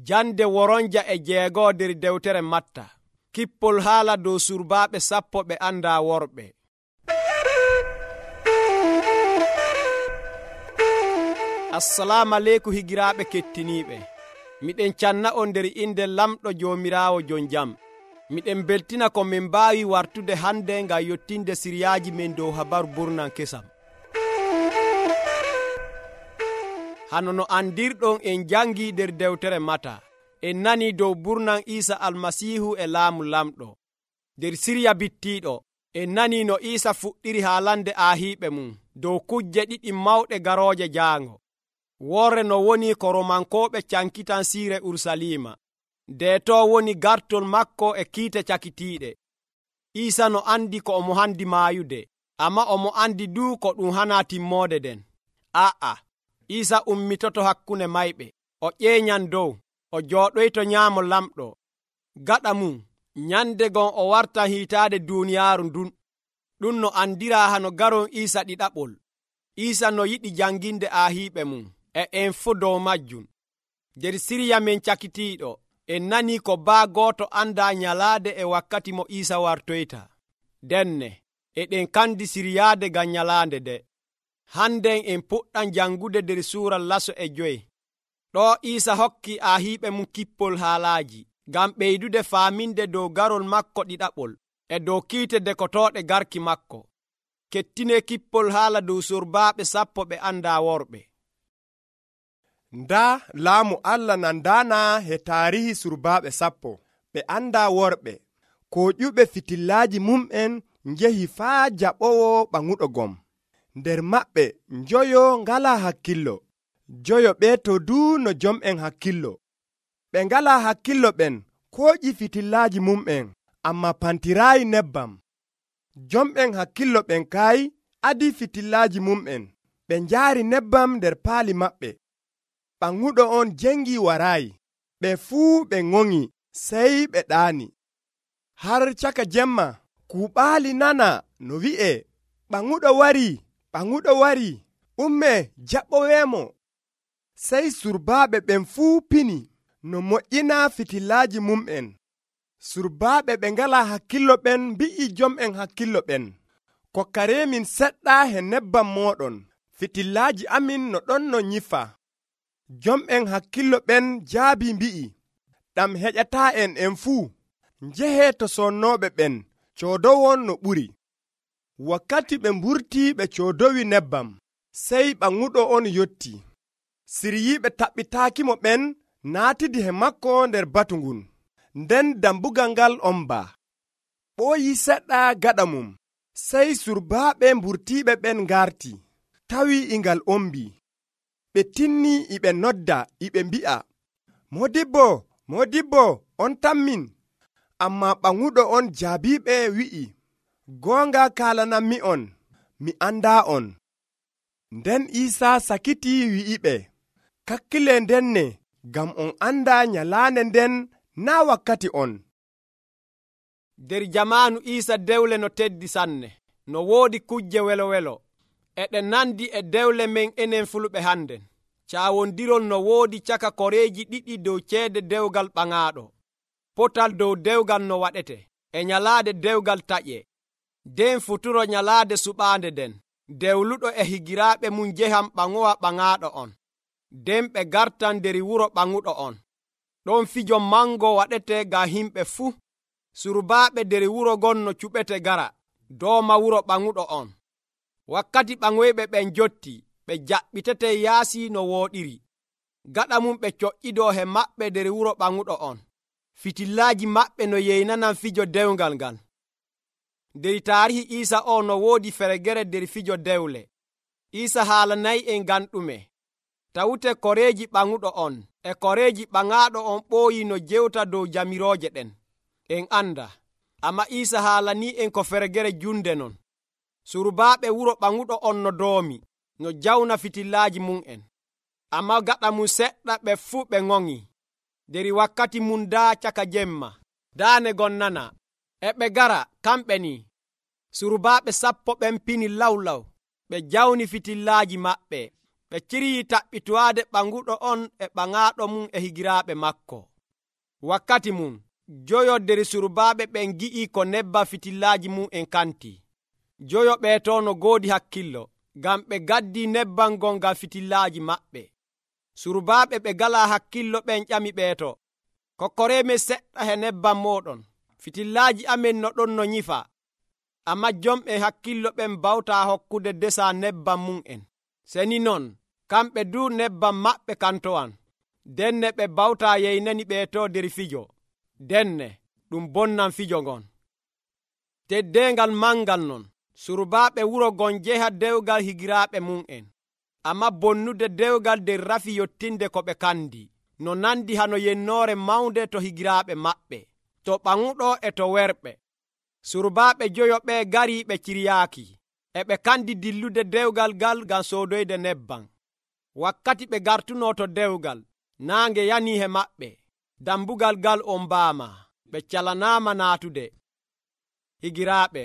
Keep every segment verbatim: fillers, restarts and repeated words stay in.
Jande woronja e jeegoo der dewtere Matta. Kippol haala dow surbaaɓe sappo ɓe andaa worɓe. Assalamu aleykum higiraaɓe kettiniiɓe. Miɗen canna on nder inde lamɗo Joomiraawo jon jam. Miɗen beltina ko min mbaawi wartude hande ngam yottinde siriyaaji men dow habaru burnan kesam. Hano no andirɗon en jangi nder dewtere Mata. En nani dow burnan Iisa almasiihu e laamu lamɗo. Nder siriya bittiiɗo en nani no Iisa fuɗɗiri haalande aahiiɓe mum dow kujje ɗiɗi mawɗe garooje jaango. Worre no woni ko Romankooɓe cankitan siire Urusalima. Ndeeto woni gartol makko e kiite cakitiiɗe. Iisa no andi ko omo handi maayude, amma omo andi du ko ɗum hana timmoode den. Aa, Iisa ummitoto hakkunde mayɓe, o ƴeeñan dow, o jooɗoyto nyaamo lamɗo. Gaɗa mum, nyande gon o wartan hiitaade duuniyaaru ndun. Ɗum no andiraa hano garon Iisa ɗiɗaɓol. Iisa no yiɗi janginde aahiiɓe mum, e en fuu dow majjum. Nder siriya men cakitiiɗo, en nani ko baa gooto andaa nyalaade e wakkati mo Iisa wartoyta. Denne, eɗen kandi siriyaade ngam nyalaande de. Hannden en puɗɗan jangude nder suura laso e joyi. Ɗo Iisa hokki aahiiɓe mum kippol haalaaji, ngam ɓeydude faaminde dow garol makko ɗiɗaɓol, e dow kiite dekotooɗe garki makko. Kettine kippol haala dow surbaaɓe sappo ɓe andaa worɓe. Ndaa laamu Allah nandaana he taarihi surbaaɓe sappo ɓe andaa worɓe, ko ƴuɓe fitillaaji mum'en njehi faa jaɓowo ɓaŋuɗo gom. Nder maɓɓe njoyo ngalaa hakkillo, joyo ɓeeto duu no jom'en hakkillo. Ɓe ngalaa hakkillo ɓen kooƴi fitillaaji mum'en, amma pantiraayi nebbam. Jom'en hakkillo ɓen kaayi adi fitillaaji mum'en, ɓe njaari nebbam nder paali maɓɓe. Ɓaŋuɗo on jengi waraayi, ɓe fuu ɓe ŋoŋi, sey ɓe ɗaani. Har caka jemma, kuuɓaali nana no wi'e, ɓaŋuɗo warii, ɓaŋuɗo warii, ummee jaɓoweemo. Sey surbaaɓe ɓen fuu pini no moƴƴina fitillaaji mum'en. Surbaaɓe ɓe ngalaa hakkillo ɓen mbi'i jom'en hakkillo ɓen, kokkareemin seɗɗa he nebbam mooɗon, fitillaaji amin no ɗon no nyifa. Jom'en hakkillo ɓen jaabi mbi'i, ɗam heƴataa'en en fuu, njehee to sonnooɓe ɓen coodowon no ɓuri. Wakkati ɓe mburtii ɓe coodowi nebbam, sey ɓaŋuɗo on yotti. Siryiiɓe taɓɓitaakimo ɓen naatidi he makko nder batu ngun, nden dambugal ngal ombaa. Ɓooyi seɗɗa gaɗa mum, sey surbaaɓe mburtiiɓe ɓen ngarti, tawi ingal ombii. Ɓe tinni iɓe nodda iɓe mbi'a, Modibbo, Modibbo, on tammin. Amma ɓaŋuɗo on jaabiiɓe wi'i, goonga kaalanammi on, mi andaa on. Nden Iisa sakiti wi'iɓe, kakkile ndenne, ngam on andaa nyalaande nden naa wakkati on. Nder jamaanu Iisa dewle no teddi sanne, no woodi kujje welo-welo. Eɗen nandi e dewle men enen fulɓe hannden. Caawondirol no woodi caka koreeji ɗiɗi dow ceede dewgal ɓaŋaaɗo. Potal dow dewgal no waɗete, e nyalaade dewgal taƴe. Den futuro nyalaade suɓaande den, dewluɗo e higiraaɓe mum njehan ɓaŋowa ɓaŋaaɗo on. Den ɓe gartan nder wuro ɓaŋuɗo on. Ɗon fijo mango waɗete ngam himɓe fuu. Surbaaɓe nder wuro gon no cuɓete gara, dooma wuro ɓaŋuɗo on. Wakkati ɓaŋoyɓe ɓen jotti, ɓe jaɓɓitete yaasi no wooɗiri. Gaɗa mum ɓe coƴƴidoo he maɓɓe nder wuro ɓaŋuɗo on. Fitillaaji maɓɓe no yeynanan fijo dewgal ngal. Nder taarihi Iisa o no woodi feregere nder fijo dewle. Iisa haalanayi en ngam ɗume. Tawute koreeji ɓaŋuɗo on e koreeji ɓaŋaaɗo on ɓooyi no jewta dow jamirooje ɗen. En anda, amma Iisa haalanii en ko feregere junde non. Surbaaɓe wuro ɓaŋuɗo on no doomi, no jawna fitillaaji mum'en. Amma gaɗa mum seɗɗa ɓe fuu ɓe ŋoŋi. Nder wakkati mum daa caka jemma, daane gon nana, e ɓe gara kamɓe ni. Surbaaɓe sappo ɓen pini lawlaw, ɓe jawni fitillaaji maɓɓe, ɓe cirii taɓɓitowaade ɓanguɗo on e ɓaŋaaɗo mum e higiraaɓe makko. Wakkati mum joyo nder surbaaɓe ɓen gi'ii ko nebbam fitillaaji mum en kanti. Joyo ɓeeto no goodi hakkillo, ngam ɓe gaddii nebbam gon ngam fitillaaji maɓɓe. Surbaaɓe ɓe galaa hakkillo ɓen ƴami ɓeeto, kokkoreemen seɗɗa he nebbam mooɗon, fitillaaji amen no ɗon no nyifa. Ammaa jomɓe hakkillo ɓen bawtaa hokkude desa nebbam mum en. Seni non, kamɓe du nebbam maɓɓe kantowan, denne ɓe bawtaa yeynani ɓeeto nder fijo. Denne ɗum bonnan fijo ngon. Teddeengal mangal non, surbaaɓe wuro gon njeha dewgal higiraaɓe mum en. Amma bonnude dewgal nder rafi yottinde ko ɓe kandi, no nandi hano yennoore mawnde to higiraaɓe maɓɓe, to ɓaŋuɗo e to werɓe. Surbaaɓe joyo ɓe garii ɓe ciryaaki, e ɓe kandi dillude dewgal gal ngam soodoyde nebbam. Wakkati ɓe gartunoo to dewgal, naange yanii he maɓɓe, dambugal gal on mbaama, ɓe calanaama naatude. Higiraaɓe,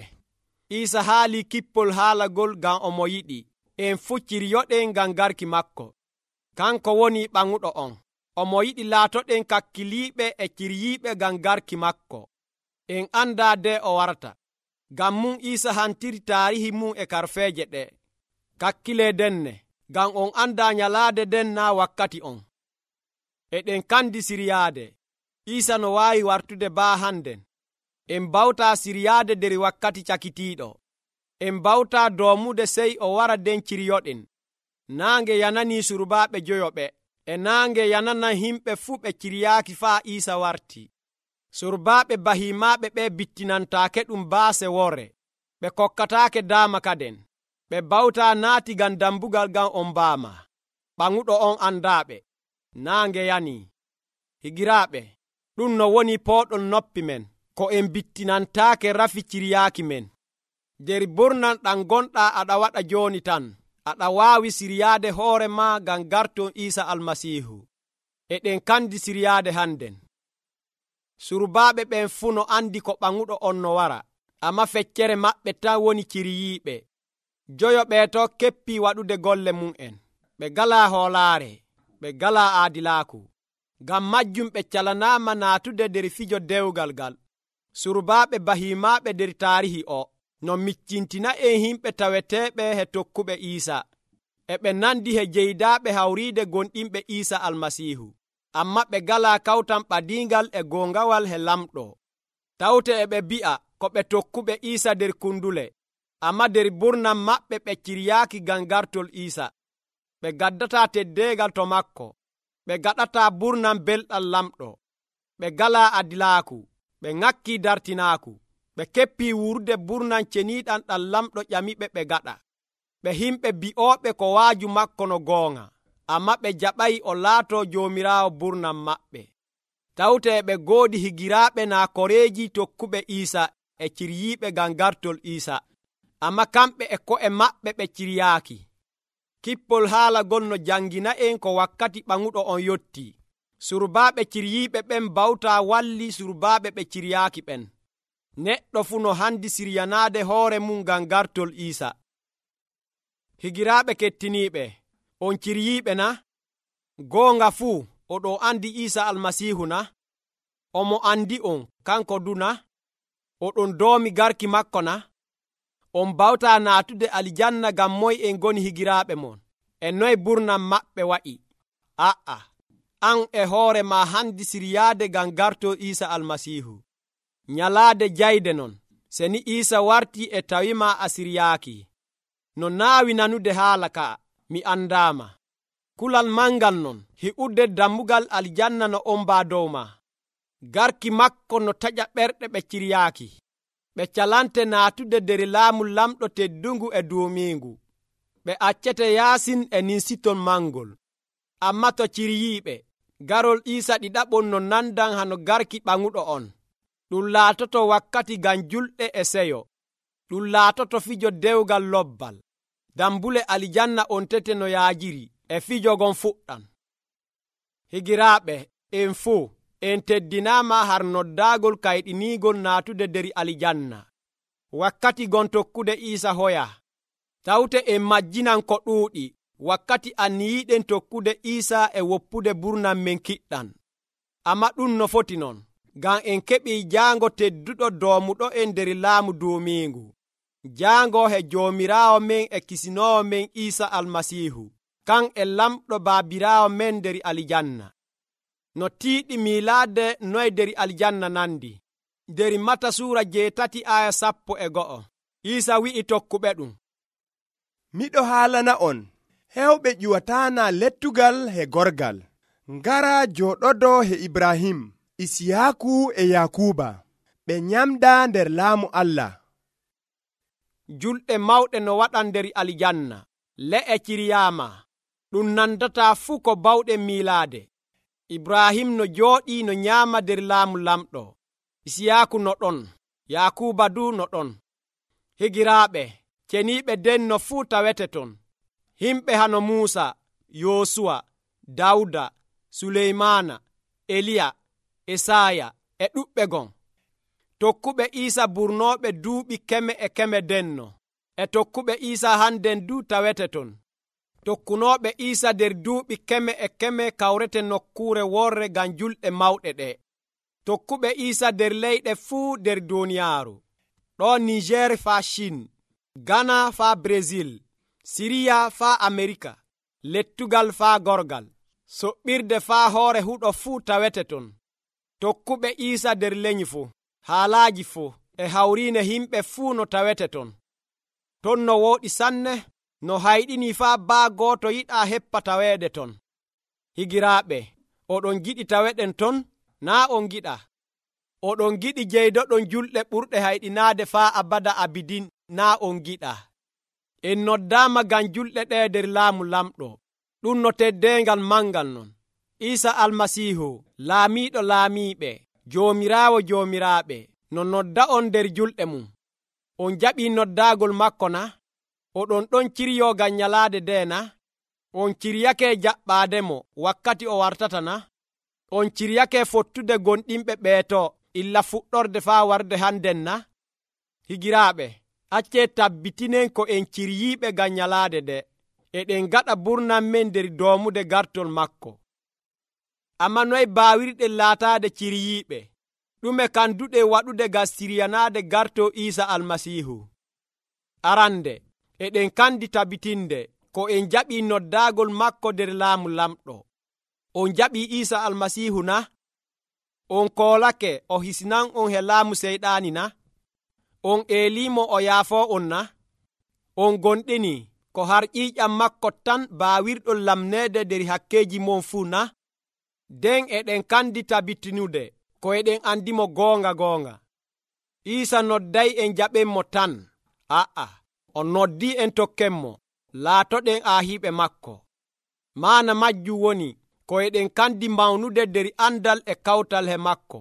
Iisa haalii kippol haalagol ngam omo yiɗi en fuu ciryoɗen ngam garki makko. Kanko woni ɓaŋuɗo on. Omo yiɗi laatoɗen kakkiliiɓe e ciryiiɓe ngam garki makko. En andaa de o warta. Ngam mum Iisa hantiri taarihi mum e karfeeje ɗe. Kakkilee denne, ngam on andaa nyalaade den naa wakkati on. Eɗen kandi siryaade. Iisa no waawi wartude baa hannden. En bawtaa siryaade nder wakkati cakitiiɗo. En bawtaa doomude sey o wara den ciryoɗen. Naange yananii surbaaɓe joyoɓe, e naange yananan himɓe fuu ɓe ciryaaki faa Iisa warti. Surbaaɓe bahimaaɓe ɓe bittinantaake ɗum baase wore, ɓe kokkataake daama kaden. Ɓe bawtaa naati ngam dambugal ngam on mbaama. Ɓaŋuɗo on andaaɓe. Naange yanii. Higiraaɓe, ɗum no woni pooɗon noppi men, ko en bittinantaake rafi ciryaaki men. Nder burnan ɗam gonɗaa aɗa waɗa jooni tan, aɗa waawi siryaade hoore maa ngam garton Iisa Almasiihu. Eɗen kandi siryaade hannden. Surbaaɓe ɓen fuu no andi ko ɓaŋuɗo on no wara, amma feccere maɓɓe tan woni ciryiiɓe. Joyo ɓeeto keppii waɗude golle mum en. Ɓe galaa hoolaare, ɓe galaa aadilaaku. Ngam majjum ɓe calanaama naatude nder fijo dewgal ngal. Surbaaɓe bahimaaɓe nder taarihi o no miccintina en himɓe taweteeɓe he tokkuɓe Iisa. E ɓe nandi he jeydaaɓe hawriide gonɗinɓe Iisa Almasiihu. Amma ɓe galaa kawtan ɓadiingal e goongawal he lamɗo. Tawte e ɓe bi'a ko ɓe tokkuɓe Iisa nder kundule, amma nder burnan maɓɓe ɓe ciryaaki ngam gartol Iisa. Ɓe gaddataa teddeegal to makko. Ɓe gaɗataa burnan belɗam lamɗo. Ɓe galaa adilaaku. Ɓe ŋakkii dartinaaku. Ɓe keppii wuurde burnan ceniiɗam ɗam lamɗo ƴamiɓe ɓe gaɗa. Ɓe himɓe bi'ooɓe ko waaju makko no goonga, amma ɓe jaɓayi o laatoo joomiraawo burnan maɓɓe. Tawte e ɓe goodi higiraaɓe naa koreeji tokkuɓe Iisa e ciryiiɓe ngam gartol Iisa, amma kamɓe e ko'e maɓɓe ɓe ciryaaki. Kippol haalagol no jangina en ko wakkati ɓaŋuɗo on yottii. Surbaaɓe ciryiiɓe ɓen bawtaa walli surbaaɓe ɓe ciryaaki ɓen. Neɗɗo fuu no handi siryanaade hoore mum ngam gartol Iisa. Higiraaɓe kettiniiɓe, on ciryiiɓe na? Goonga fuu oɗo andi Iisa Almasiihu na? Omo andi on kanko du na? Oɗon doomi garki makko na? On bawtaa naatude aljanna ngam moy en goni higiraaɓe mon, e noy burnan maɓɓe wa'i? A'a, an e hoore ma handi siryaade ngam garto Iisa Almasiihu. Nyalaade jayde non, seni Iisa wartii e tawima a siryaaki. No naawi nanude haala ka, mi andaama. Kulal mangal non, hi'ude dammugal aljanna no ombaa dow ma. Garki makko no taƴa ɓerɗe ɓe ciryaaki. Ɓe calante naatude nder laamu lamɗo teddungu e duumiingu. Ɓe accete yaasin e ninsiton mangol. Amma to ciryiiɓe, garol Iisa ɗiɗaɓon no nandan hano garki ɓaŋuɗo on. Ɗum laatoto wakkati ngam julɗe e seyo. Ɗum laatoto fijo dewgal lobbal. Dambule aljanna on tete no yaajiri, e fijo gon fuɗɗan. Higiraaɓe, en fuu, en teddinaama har noddaagol kayɗiniigol naatude nder aljanna. Wakkati gon tokkude Iisa hoya. Tawte en majjinan ko ɗuuɗi, wakkati anniyiiɗen tokkude Iisa e woppude burnan men kiɗɗan. Amma ɗum no foti non, ngam en keɓii jaango tedduɗo doomuɗo en nder laamu duumiingu. Jaango he Joomiraawo men e Kisinoowo men Iisa Almasiihu, kan e lamɗo baabiraawo men nder aljanna. No tiiɗi miilaade noye nder aljanna nandi. Nder Mata suura jeetati aya sappo e go'o, Iisa wi'i tokkuɓe ɗum, miɗo haalana on hewɓe ƴuwataana lettugal he gorgal. Ngara jooɗodo he Ibrahim, Isiyaaku e Yakuba, ɓe nyamda nder laamu Allah. Julɗe mawɗe no waɗan nder aljanna, le'e Kiriyama, ɗum nandataa fuu ko bawɗen miilaade. Ibrahim no jooɗii no nyaama nder laamu lamɗo, Isiyaaku no ɗon, Yakuba du no ɗon. Higiraaɓe, ceniiɓe denno fuu tawete ton. Himɓe hano Muusa, Yoosuwa, Dawda, Suleymaana, Eliya, Esaya e ɗuɓɓe gon. Tokkuɓe Iisa burnooɓe duuɓi keme e keme denno, e tokkuɓe Iisa hannden du tawete ton. Tokkunooɓe Iisa nder duuɓi keme e keme kawrete nokkuure worre ngam julɗe mawɗe ɗe. Tokkuɓe Iisa nder leyɗe fuu nder duuniyaaru, ɗo Niger faa Chin, Ghana faa Brésil, Siriya faa Amerika, lettugal faa gorgal, soɓɓirde faa hoore huɗo fuu tawete ton. Tokkuɓe Iisa nder leñi fuu, haalaaji fuu e hawriine himɓe fuu no tawete ton. Ton no wooɗi sanne, no hayɗini faa baa gooto yiɗaa heppa taweede ton. Higiraaɓe, oɗon giɗi taweɗen ton? Naa on giɗa. Oɗon giɗi jeydoɗon julɗe ɓurɗe hayɗinaade faa abada abidin? Naa on giɗa. En noddaama ngam julɗe ɗe nder laamu lamɗo. Ɗum no teddeengal mangal non. Iisa Almasiihu, laamiiɗo laamiiɓe, Joomiraawo joomiraaɓe, no nodda on nder julɗe mum. On jaɓii noddaagol makko na? Oɗon ɗon ciryoo ngam nyalaade nde na? On ciryake jaɓɓaademo wakkati o wartata na? On ciryake fottude gonɗinɓe ɓeeto illa fuɗɗorde faa warde hannden na? Higiraaɓe, accee tabbitinen ko en ciryiiɓe ngam nyalaade nde, eɗen gaɗa burnan men nder doomude gartol makko. Amma noye baawirɗen laataade ciryiiɓe? Ɗume kanduɗe waɗude ngam siryanaade gartoo Iisa Almasiihu? Arande, eɗen kandi tabitinde ko en jaɓii noddaagol makko nder laamu lamɗo. On jaɓii Iisa Almasiihu na? On koolake o hisinan on he laamu seyɗaani na? On eelimo o yaafoo on na? On gonɗini ko har ƴiiƴam makko tan baawirɗon lamneede nder hakkeeji mon fuu na? Den eɗen kandi tabitinude ko eɗen andimo goonga goonga. Iisa nodday en jaɓenmo tan. A'a, o noddii en tokkenmo, laatoɗen aahiiɓe makko. Maana majjum woni ko eɗen kandi mawnude nder andal e kawtal he makko,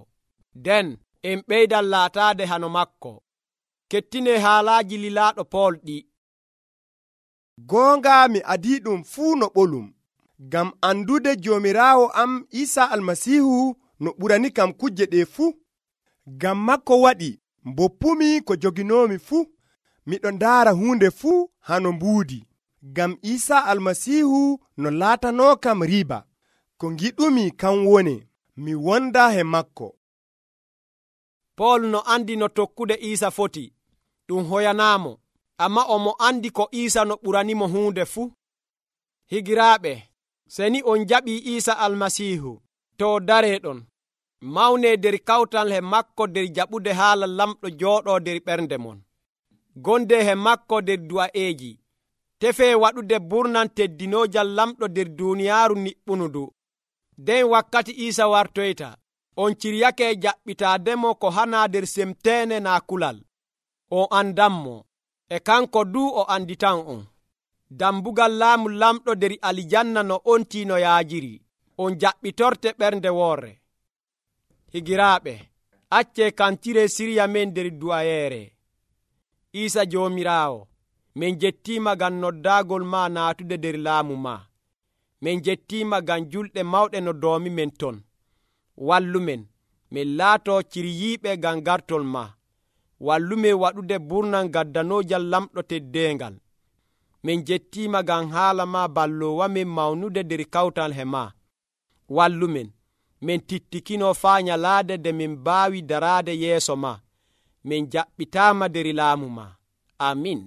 nden en ɓeydan laataade hano makko. Kettine haalaaji lilaaɗo Pool ɗi. Goonga mi adii ɗum fuu no ɓolum, ngam andude Joomiraawo am Iisa Almasiihu no ɓurani kam kujje ɗe fuu. Ngam makko waɗi mboppumi ko joginoomi fuu, miɗo ndaara huunde fuu hano mbuudi, ngam Iisa Almasiihu no laatanoo kam riiba. Ko ngiɗumi kan woni mi wonda he makko. Pool no andi no tokkude Iisa foti, ɗum hoyanaamo, amma omo andi ko Iisa no ɓuranimo huunde fuu. Higiraaɓe, seni on jaɓii Iisa Almasiihu, to dareeɗon mawnee nder kawtal he makko nder jaɓude haala lamɗo jooɗoo nder ɓernde mon. Gonde he makko nder du'a'eeji, tefee waɗude burnan teddinoojal lamɗo nder duuniyaaru niɓɓunudu. Den wakkati Iisa wartoyta, on ciryake jaɓɓitaademo ko hana nder semteene naa kulal. On andanmo, e kanko du o anditan on. Dambugal laamu lamɗo nder aljanna no ontii no yaajiri, on jaɓɓitorte ɓernde woore. Higiraaɓe, accee kantire sirya men nder du'ayeere. Iisa Joomiraawo, min jettiima ngam noddaagol ma naatude nder laamu ma. Min jettiima ngam julɗe mawɗe no doomi men ton. Wallumen, min laatoo ciryiiɓe ngam gartol ma. Wallumen waɗude burnal gaddanoojal lamɗo teddeengal. min jettiima ngam haala ma balloowamin mawnude nder kawtal he ma. Wallumin min tittikino faa nyalaade nde min mbaawi daraade yeeso ma. Min jaɓɓitaama nder laamu ma. Amin.